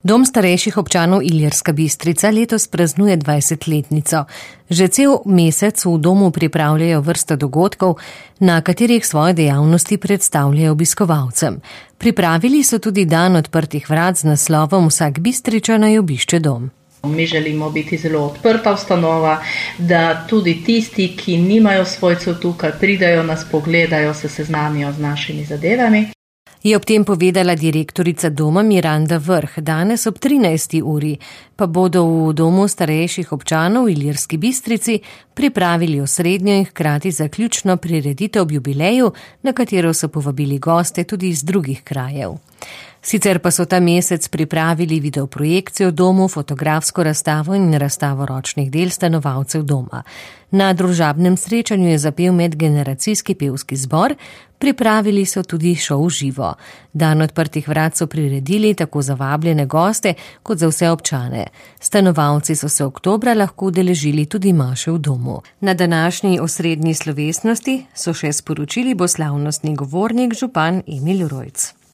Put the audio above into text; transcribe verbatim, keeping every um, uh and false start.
Dom starejših občanov Ilirska Bistrica letos praznuje dvajsetletnico. Že cel mesec v domu pripravljajo vrsto dogodkov, na katerih svoje dejavnosti predstavljajo obiskovalcem. Pripravili so tudi dan odprtih vrat z naslovom Vsak Bistričan naj obišče dom. Mi želimo biti zelo odprta ustanova, da tudi tisti, ki nimajo svojcev tukaj, pridajo nas, pogledajo, se seznanijo z našimi zadevami. Je ob tem povedala direktorica doma Miranda Vrh. Danes ob trinajsti uri pa bodo v domu starejših občanov v Ilirski Bistrici pripravili osrednjo in hkrati zaključno prireditev ob jubileju, na katero so povabili goste tudi iz drugih krajev. Sicer pa so ta mesec pripravili videoprojekcijo v domu, fotografsko razstavo in razstavo ročnih del stanovalcev doma. Na družabnem srečanju je zapel medgeneracijski pevski zbor, pripravili so tudi šov živo. Dan odprtih vrat so priredili tako za vabljene goste kot za vse občane. Stanovalci so se oktobra lahko udeležili tudi maše v domu. Na današnji osrednji slovesnosti so še sporočili bo slavnostni govornik župan Emil Rojc.